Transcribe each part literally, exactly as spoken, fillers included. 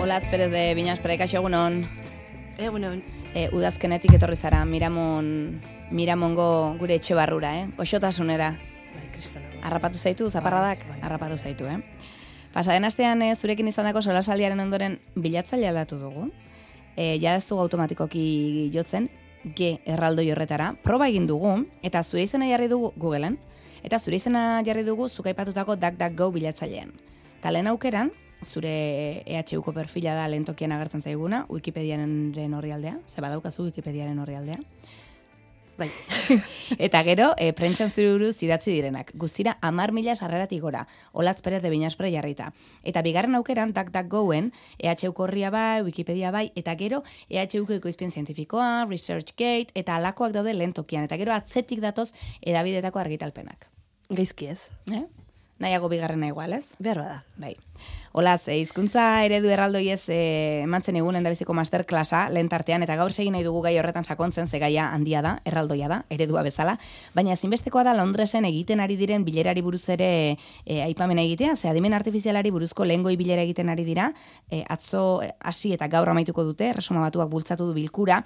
Olatz Perez de Binaspre, kaixo egunon. Egunon. E, udazkenetik etorri zara, Miramon, Miramongo gure etxe barrura, eh? Goxotasunera. Bai, kristona. Harrapatu zaitu, zaparradak? Bai, bai. Harrapatu zaitu, eh? Pasaden astean e, zurekin izandako solasaldiaren ondoren bilatzaile aldatu dugu. E, ja ez dugu automatikoki jotzen, G erraldoi horretara. Proba egin dugu, eta zure izena jarri dugu Googleen, eta zure izena jarri dugu zuk aipatutako DuckDuckGo bilatzailean. Ta lehen aukeran, zure E H Uko perfila da lehen tokian agertzen zaiguna, Wikipediaren orrialdea, ze badaukazu Wikipediaren orrialdea. Bai. Eta gero, e, prentxan zure buruz idatzi direnak. Guztira, amar mila sarreratik gora, Olatz Perez de Binaspre jarrita. Eta bigarren aukeran, DuckDuckGoen, E H Uko horria bai, Wikipedia bai, eta gero, E H Uko ekoizpen zientifikoa, ResearchGate, eta alakoak daude lehen tokian. Eta gero, atzetik datoz, edabidetako argitalpenak. Gaizki ez. Eh? Nahiago bigarrena igual, ez? Behar bada. Bai. Olaz, e, hizkuntza eredu erraldoiez e, emantzen egun endabiziko masterklasa lehen tartean, eta gaur segin nahi dugu gai horretan sakontzen, ze gaia handia da, erraldoia da, eredua bezala, baina ezinbestekoa da Londresen egiten ari diren bilerari buruz ere e, aipamena egitea, ze adimen artifizialari buruzko lehengoi bilera egiten ari dira, e, atzo hasi eta gaur amaituko dute, Erresuma Batuak bultzatu du bilkura,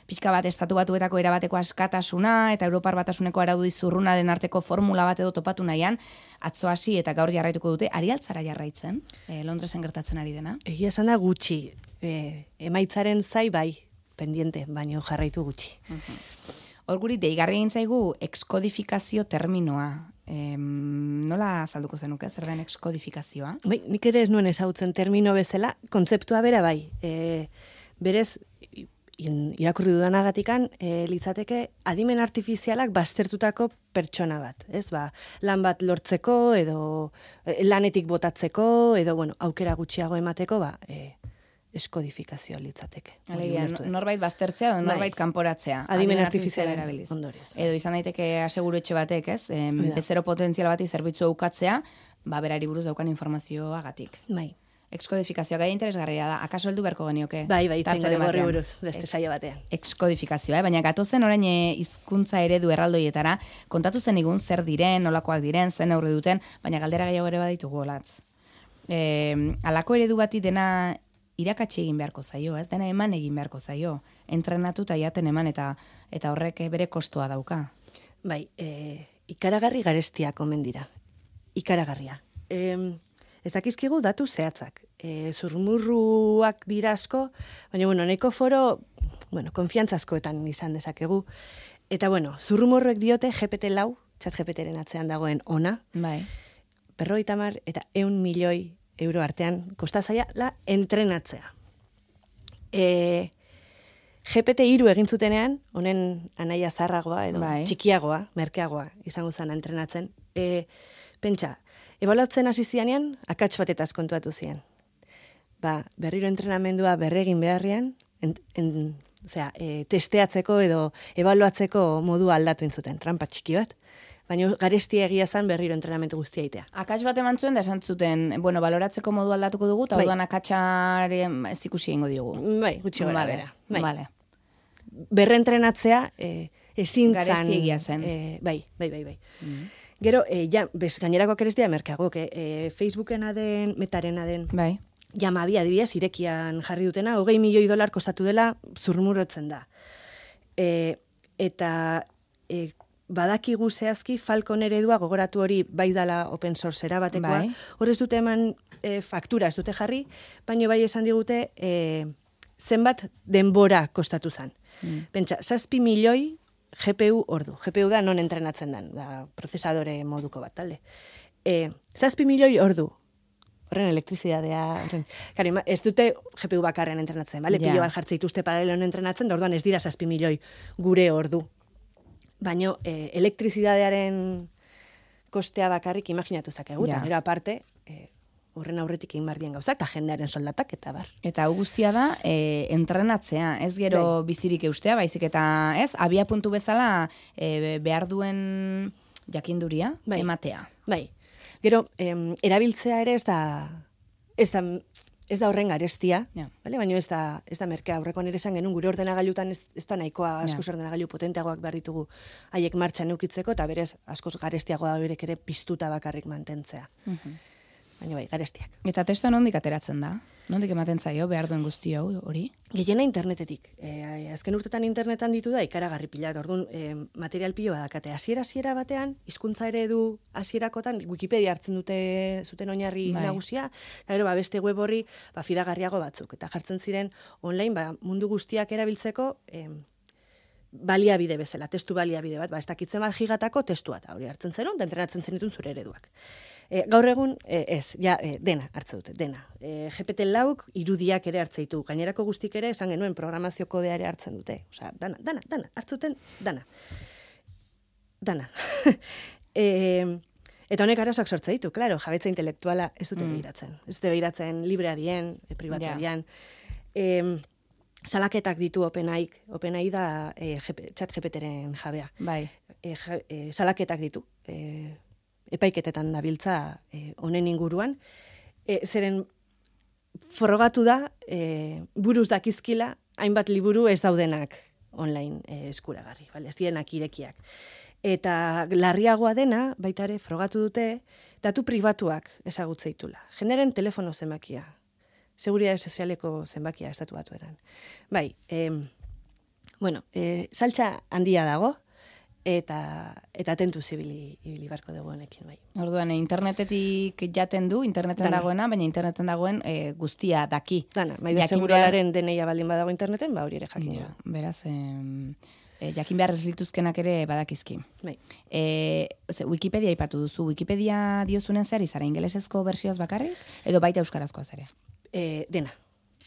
pixka bat estatu batuetako erabateko askatasuna eta Europar Batasuneko araudi zurrunaren arteko formula bat edo topatu nahian, atzo hasi eta gaur jarraituko dute, ari altzara jarraitzen, e, Londresen gertatzen ari dena? Egia esan da gutxi. E, emaitzaren zai bai, pendiente, baino jarraitu gutxi. Hor guri, deigarri egin zaigu exkodifikazio terminoa. E, nola azalduko zenuke, zer den exkodifikazioa? Bai, nik ere ez nuen ezagutzen termino bezala, kontzeptua bera bai. E, berez, irakurri dudanagatikan, e, litzateke adimen artifizialak baztertutako pertsona bat, ez? Ba, lan bat lortzeko, edo e, lanetik botatzeko, edo, bueno, aukera gutxiago emateko, ba, e, eskodifikazioa litzateke. Alegia, norbait baztertzea edo norbait kanporatzea. Adimen artifiziala erabiliz. Ondorioz. Edo izan daiteke aseguru etxe batek, ez? E, bezero potentzial bati zerbitzu ukatzea, ba, berari buruz daukan informazioagatik. Bai. Exkodifikazioa gai interesgarria da. Akaso heldu beharko genioke? Bai, bai, itzen gara horri buruz, beste saio batean. Exkodifikazioa, eh? Baina gatozen orain hizkuntza eredu erraldoietara, kontatu zen igun zer diren, nolakoak diren, zen aurre duten, baina galdera gehiago ere baditugu Olatz. E, alako eredu bati dena irakatsi egin beharko zaio, ez? Dena eman egin beharko zaio. Entrenatu eta jaten eman eta eta horrek bere kostua dauka. Bai, e, ikaragarri garestia komen dira. Ikaragarria. E, Ez dakizkigu datu zehatzak. E, zurmurruak dira asko, baina, bueno, nahiko foro, bueno, konfiantzazkoetan izan dezakegu. Eta, bueno, zurrumurruek diote G P T lau, txat G P T-ren atzean dagoen ona, bai. berrogeita hamar eta ehun milioi euro artean kostazaia la entrenatzea. E, G P T hiru egin zutenean, honen anaia zarragoa edo bai. txikiagoa, merkeagoa izango zen entrenatzen. E, pentsa, ebaluatzen hasi zianean, akats batetaz kontuatu zian. Ba, berriro entrenamendua berregin beharrean, en, en, zera, e, testeatzeko edo ebaluatzeko modu aldatu intzuten, trampa txiki bat. Baina garestia egia zen berriro entrenamendu guztia itea. Akats bat eman zuen da esan zuten, bueno, baloratzeko modu aldatuko dugu, eta bai. orduan akatsaren ez ikusi egingo diogu. Bai, gutxi gara vale. bera. Bai. Vale. Berrentrenatzea e, ezin zan... Garesti egia zen. E, bai, bai, bai, bai. Mm. Gero, e, ja, bez, gainerako kerestia merkeagok, e, Facebookena den, Metarena den, Bai. ja, mabi adibidez, irekian jarri dutena, hogei milioi dolar kostatu dela zurmurrotzen da. E, eta e, badakigu zehazki Falcon eredua gogoratu hori bai dala open source erabatekoa, bai. hor ez dute eman e, faktura ez dute jarri, baina bai esan digute e, zenbat denbora kostatu zen. Mm. Pentsa, zazpi milioi G P U ordu. G P U da non entrenatzen den, da prozesadore moduko bat, talde. E, zazpi milioi ordu. Horren elektrizidadea, horren. Kari, ez dute G P U bakarren entrenatzen, bale? Ja. Pilo bat jartze dituzte paralelon entrenatzen, da orduan ez dira zazpi milioi gure ordu. Baina e, elektrizidadearen kostea bakarrik imaginatu zakegu, eta Ja. gero aparte, e, horren aurretik egin bardien gauzak, eta jendearen soldatak, eta bar. Eta hau guztia da, e, entrenatzea, ez gero Bai. bizirik eustea, baizik eta, ez, abia puntu bezala e, behar duen jakinduria Bai. ematea. Bai. Gero, em, erabiltzea ere ez da, ez da, ez da horren garestia, Ja. vale? Baina ez da, ez da merkea. Aurreko nire esan genuen gure ordenagailutan ez, ez da nahikoa askoz Ja. ordenagailu potenteagoak behar ditugu haiek martxan eukitzeko, eta berez askoz garestiagoa da berek ere piztuta bakarrik mantentzea. Mhm. baina bai, garestiak. Eta testua nondik ateratzen da? Nondik ematen zaio behar duen guzti hau hori? Gehiena internetetik. E, azken urtetan internetan ditu da ikaragarri pila. Orduan, e, material pilo badakate. Hasiera-hasiera batean, hizkuntza eredu hasierakotan Wikipedia hartzen dute zuten oinarri bai. nagusia, eta gero ba, beste web horri ba, fidagarriago batzuk. Eta jartzen ziren online ba, mundu guztiak erabiltzeko e, baliabide bezala, testu baliabide bat, ba, ez dakitzen bat gigatako testua, eta hori hartzen zenun, da entrenatzen zenitun zure ereduak. E, gaur egun, e, ez, ja, e, dena hartze dute, dena. E, G P T lauk irudiak ere hartze ditu, gainerako guztik ere, esan genuen programazio kodea ere hartzen dute. Osea, dana, dana, dana, hartzuten, dana. Dana. e, eta honek arazoak sortze ditu, klaro, jabetza intelektuala ez dute mm. behiratzen. Ez dute behiratzen librea dien, e, privatua dien. E, Salaketak ditu OpenAIk, OpenAI da e, chat G P T-ren jabea. Bai. E, ja, e, salaketak ditu. E, epaiketetan dabiltza e, honen inguruan. E, zeren frogatu da, e, buruz dakizkila, hainbat liburu ez daudenak online e, eskuragarri, bale? Ez dienak irekiak. Eta larriagoa dena, baita ere, frogatu dute, datu pribatuak ezagutzeitula. Jeneren telefono zenbakia. Seguridade sozialeko zenbakia estatu batuetan. Bai, eh, bueno, eh, saltza handia dago, eta eta tentu zibili ibili barko dugu honekin, bai. Orduan, internetetik jaten du, interneten Dana. dagoena, baina interneten dagoen e, guztia daki. Dana, maider Jakin segurualaren deneia baldin badago interneten, ba hori ere jakin Ja, du. beraz, em, e, jakin behar ez lituzkenak ere badakizki. Bai. E, ze, Wikipedia aipatu duzu, Wikipedia diozunen zer izara, ingelesezko bersioz bakarrik, edo baita euskarazkoaz ere? E, dena,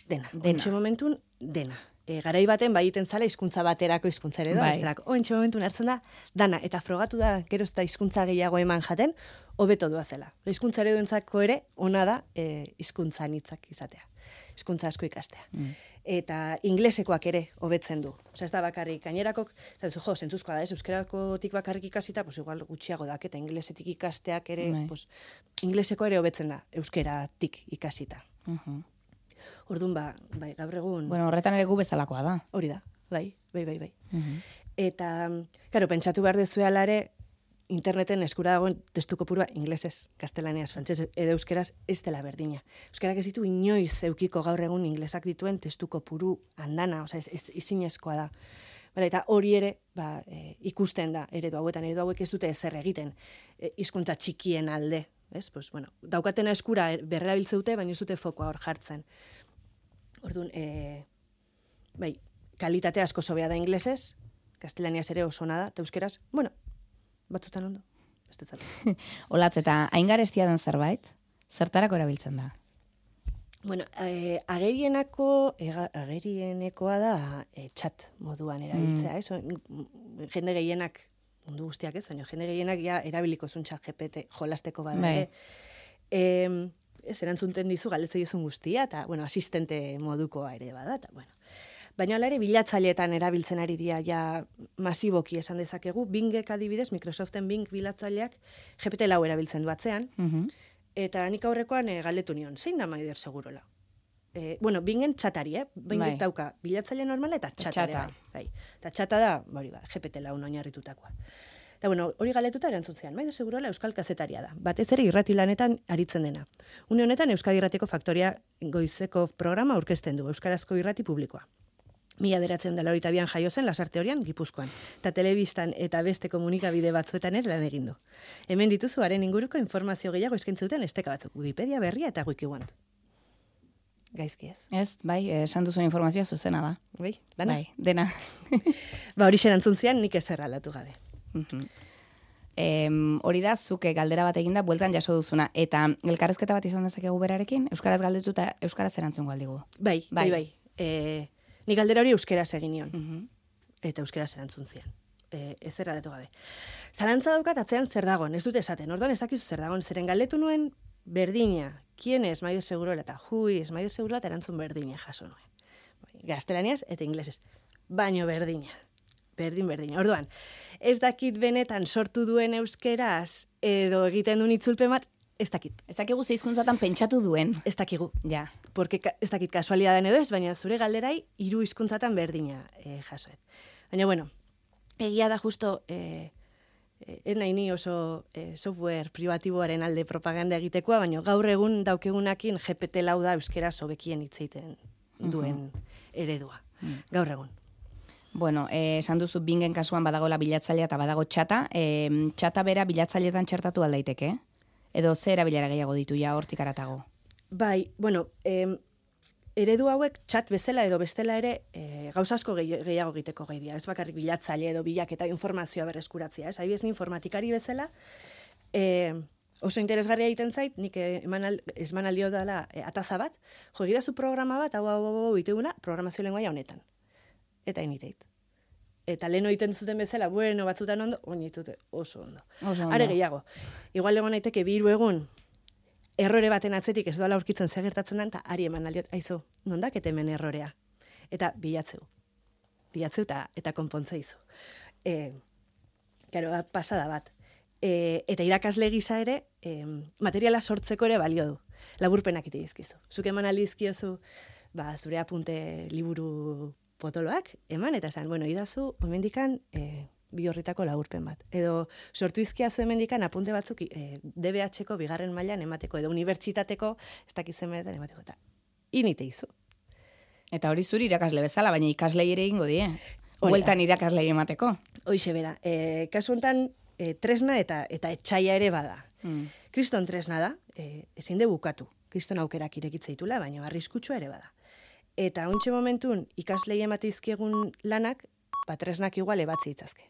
dena. Dena. Ontxe momentun, dena. E, garai baten bai egiten zala hizkuntza baterako hizkuntza ere da, Bai. bestelako. Ontxe momentun hartzen da, dana, eta frogatu da, gero eta hizkuntza gehiago eman jaten, hobeto doa zela. Hizkuntza ereduentzako ere, ona da e, hizkuntza anitzak izatea. Hizkuntza asko ikastea. Mm. Eta inglesekoak ere hobetzen du. Osea, ez da bakarrik gainerakok, eta duzu, jo, zentzuzkoa da, ez, euskerakotik bakarrik ikasita, pues igual gutxiago dak, eta inglesetik ikasteak ere, Bai. pues, ingleseko ere hobetzen da, euskeratik ikasita. Uh-huh. Orduan, ba, bai, gaur egun, Bueno, horretan ere gu bezalakoa da. hori da, bai, bai, bai, bai. Uh-huh. Eta, karo, pentsatu behar dezuela ere, interneten eskura dagoen testu kopurua inglesez, gaztelaniaz, frantsesez edo euskeraz ez dela berdina. Euskerak ez ditu inoiz eukiko gaur egun inglesak dituen testu kopuru andana, osea, ez, ez, izinezkoa da. Bale, eta hori ere, ba, e, ikusten da, eredu hauetan, eredu hauek ez dute ezer egiten, e, hizkuntza txikien alde, ez? Pues, bueno, daukatena eskura berrerabiltze dute, baina ez dute fokoa hor jartzen. Orduan, e, bai, kalitate asko sobea da inglesez, gaztelaniaz ere oso ona da, eta euskeraz, bueno, batzutan ondo, ez dut zatu. Olatz, eta aingarestia den zerbait, zertarako erabiltzen da? Bueno, eh, agerienako, ega, agerienekoa da eh, chat moduan erabiltzea, ez? O, jende gehienak, mundu guztiak ez, baina jende gehienak ja erabiliko zuen chat G P T jolasteko bada Bai. ere. Eh, ez erantzunten dizu, galdetzen dizun guztia, eta, bueno, asistente modukoa ere bada, eta, bueno. Baina hala ere, bilatzaileetan erabiltzen ari dira ja masiboki esan dezakegu. Bingek adibidez, Microsoften Bing bilatzaileak G P T lau erabiltzen du atzean, Uh-huh. eta nik aurrekoan e, galdetu nion, zein da Maider Segurola? E, bueno, Bingen txatari, eh? Bingek Bai. dauka bilatzaile normala eta txata. Txata. ere Bai, bai. Eta txata da, hori ba, G P T lau oinarritutakoa. Eta bueno, hori galetuta erantzun zian, Maider Segurola euskal kazetaria da. Batez ere irrati lanetan aritzen dena. Une honetan Euskadi Irratiko Faktoria goizeko programa aurkezten du, euskarazko irrati publikoa. Mila beratzen dela horita bian jaio zen Lasarte Horian, Gipuzkoan. Eta telebistan eta beste komunikabide batzuetan ere lan egin du. Hemen dituzu haren inguruko informazio gehiago eskaintzen duten esteka batzuk. Wikipedia berria eta WikiWant. Gaizki ez. Ez, bai, esan duzuen informazioa zuzena da. Bai, dana. Bai, dena. Ba, hori xerantzun zian nik ezer aldatu gabe. Mhm. Em, hori da, zuke galdera bat eginda, bueltan jaso duzuna. Eta elkarrezketa bat izan dezakegu berarekin, euskaraz galdetu eta euskaraz erantzun galdigu. Bai, bai, bai. E, nik galdera hori euskeraz egin nion. Mhm. Eta euskeraz erantzun zian. E, ez erradatu gabe. Zalantza daukat atzean zer dagon, ez dute esaten, orduan ez dakizu zer dagon, zeren galdetu nuen berdina, kien ez Maider Segurola eta hui ez Maider Segurola eta erantzun berdina jaso nuen. Gaztelaniaz eta inglesez, baino berdina. Berdin, berdin. Orduan, ez dakit benetan sortu duen euskeraz edo egiten duen itzulpen bat, ez dakit. Ez dakigu ze hizkuntzatan pentsatu duen. Ez dakigu. Ja. Porque ka- ez dakit kasualidaden edo ez, baina zure galderai hiru hizkuntzatan berdina e, jasoet. Baina, bueno, egia da justo e, en nahi oso e, software privatiboaren alde propaganda egitekoa, baina gaur egun daukegunakin G P T lau da euskera sobekien hitz egiten duen eredua. Gaur egun. Bueno, eh, esan duzu Bingen kasuan badagola bilatzailea eta badago txata. Eh, txata bera bilatzailetan txertatu aldaiteke? Edo ze erabilera gehiago ditu ja hortik aratago? Bai, bueno, eh, eredu hauek txat bezala edo bestela ere eh, gauza asko gehiago egiteko gai dira. Ez bakarrik bilatzaile edo bilaketa informazioa berreskuratzea. Ez adibidez, ni informatikari bezala, eh, oso interesgarria egiten zait, nik esman aldio dela e, ataza bat, jo, egidazu programa bat, hau, hau, hau, iteuna, programazio lengoaia honetan. Eta initeit. Eta lehen egiten zuten bezala, bueno, batzutan ondo, oinitute oso ondo. Oso ondo. Are gehiago. Igual egon naiteke biru egun, errore baten atzetik ez doala aurkitzen zer gertatzen den, eta ari eman aldiot, aizu, nondak eta hemen errorea. Eta bilatzeu. Bilatzeu eta, eta konpontzeizu. E, Karo, da pasada bat. E, eta irakasle gisa ere, e, materiala sortzeko ere balio du. Laburpenak ite dizkizu. Zuk eman aldizkiozu, ba, zure apunte liburu potoloak, eman, eta esan, bueno, idazu, hemendikan e, bi horritako laburpen bat. Edo sortu izkiazu hemendikan apunte batzuk e, D B H-ko bigarren mailan emateko, edo unibertsitateko, ez dakizemetan emateko, eta inite izu. Eta hori zuri irakasle bezala, baina ikaslei ere ingo die. Hueltan irakaslei emateko. Hoixe bera, e, kasu honetan, e, tresna eta eta etxaia ere bada. Mm. Kriston tresna da, e, ezin de bukatu. Kriston aukerak irekitzeitula, baina arriskutsua ere bada. Eta ontxe momentun ikaslei emateizkiegun lanak, ba, tresnak igual ebatzi itzazke.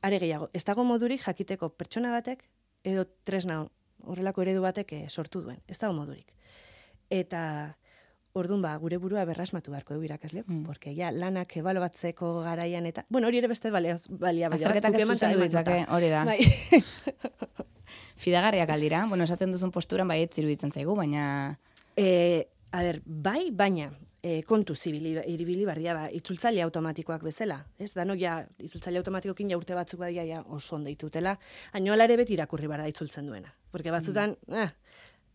Are gehiago, ez dago modurik jakiteko pertsona batek, edo tresna horrelako eredu batek e, sortu duen. Ez dago modurik. Eta orduan ba, gure burua berrasmatu beharko du irakasleok, mm. porque ja, lanak ebalobatzeko garaian eta... Bueno, hori ere beste balia balia. Azterketak ez zuzendu ditzake, hori da. Bai. Fidagarriak aldira, bueno, esaten duzun posturan bai ez iruditzen zaigu, baina... E, a ber, bai, baina, e, kontu zibili, iribili bardia, ba, itzultzaile automatikoak bezala. Ez, danok ja, itzultzaile automatikokin ja urte batzuk badia ja oso ondo ditutela, haino alare beti irakurri barda itzultzen duena. Porque batzutan, mm. ah,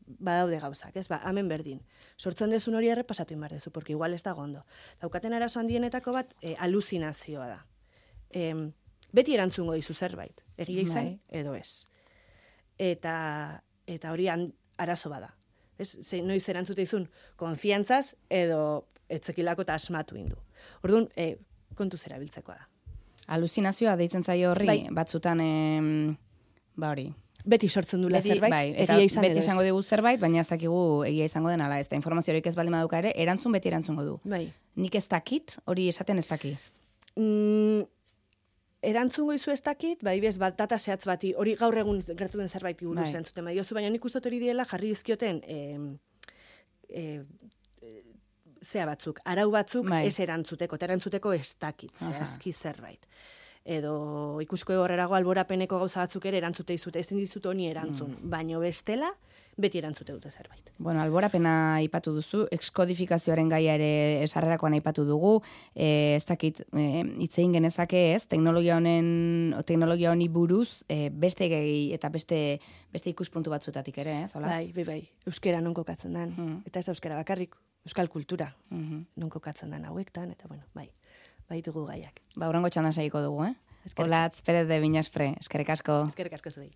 badaude gauzak, ez, ba, hemen berdin. Sortzen dezun hori errepasatu inbar dezu, porque igual ez da gondo. Daukaten arazo handienetako bat, e, aluzinazioa da. E, beti erantzungo dizu zerbait, egia izan, bai. Edo ez. Eta, eta hori arazo bada. Ez, ze, noiz erantzute izun, konfiantzaz edo etzekilako eta asmatu indu. Orduan, e, kontu zera biltzekoa da. Aluzinazioa deitzen zaio horri, bai. Batzutan, em, ba hori. Beti sortzen dula beti, zerbait, bai, eta egia izan beti esango dugu zerbait, baina ez dakigu egia izango den ala, ez da informaziorik ez baldin baduka ere, erantzun beti erantzungo du. Bai. Nik ez dakit, hori esaten ez daki. Mm, erantzungo izu ez dakit, bai bez, bat data zehatz bati, hori gaur egun gertu den zerbait buruz bai. Erantzuten, bai, baina nik ustot hori diela jarri dizkioten e, e, zea batzuk, arau batzuk bai. Ez erantzuteko, eta erantzuteko ez dakit, zehazki zerbait. Edo ikusko horrerago alborapeneko gauza batzuk ere erantzute izute, ezin dizut honi erantzun, mm. baino bestela, beti erantzute dute zerbait. Bueno, alborapena aipatu duzu, exkodifikazioaren gaia ere esarrerakoan aipatu dugu, e, ez dakit, e, itzein genezake ez, teknologia honen, teknologia honi buruz, e, beste gehi eta beste, beste ikuspuntu batzuetatik ere, ez, olatz? Bai, bai, bai, euskera non kokatzen den, mm. eta ez da euskera bakarrik, euskal kultura, mm-hmm. non kokatzen den hauektan, eta bueno, bai. Baitugu gaiak. Ba, urrengo txandan segiko dugu, eh? Olatz Pérez de Viñaspre, eskerrik asko. Eskerrik asko zuei.